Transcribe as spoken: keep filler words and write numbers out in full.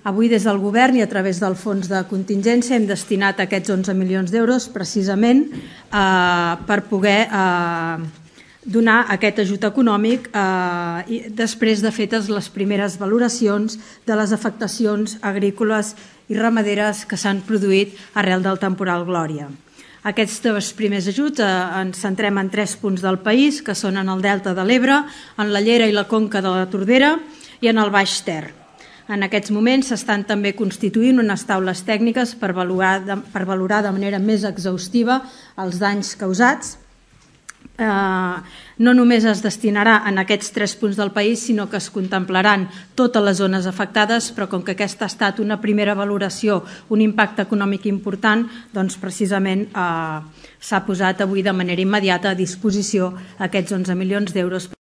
Avui, des del Govern i a través del Fons de Contingència, hem destinat aquests onze milions d'euros precisament eh, per poder eh, donar aquest ajut econòmic eh, i després de fetes les primeres valoracions de les afectacions agrícoles i ramaderes que s'han produït arrel del temporal Glòria. Aquests dos primers ajuts eh, ens centrem en tres punts del país, que són en el Delta de l'Ebre, en la Llera i la Conca de la Tordera i en el Baix Ter. En aquests moments s'estan també constituint unes taules tècniques per valorar de, per valorar de manera més exhaustiva els danys causats. Eh, no només es destinarà en aquests tres punts del país, sinó que es contemplaran totes les zones afectades, però com que aquesta ha estat una primera valoració, un impacte econòmic important, doncs precisament eh, s'ha posat avui de manera immediata a disposició aquests onze milions d'euros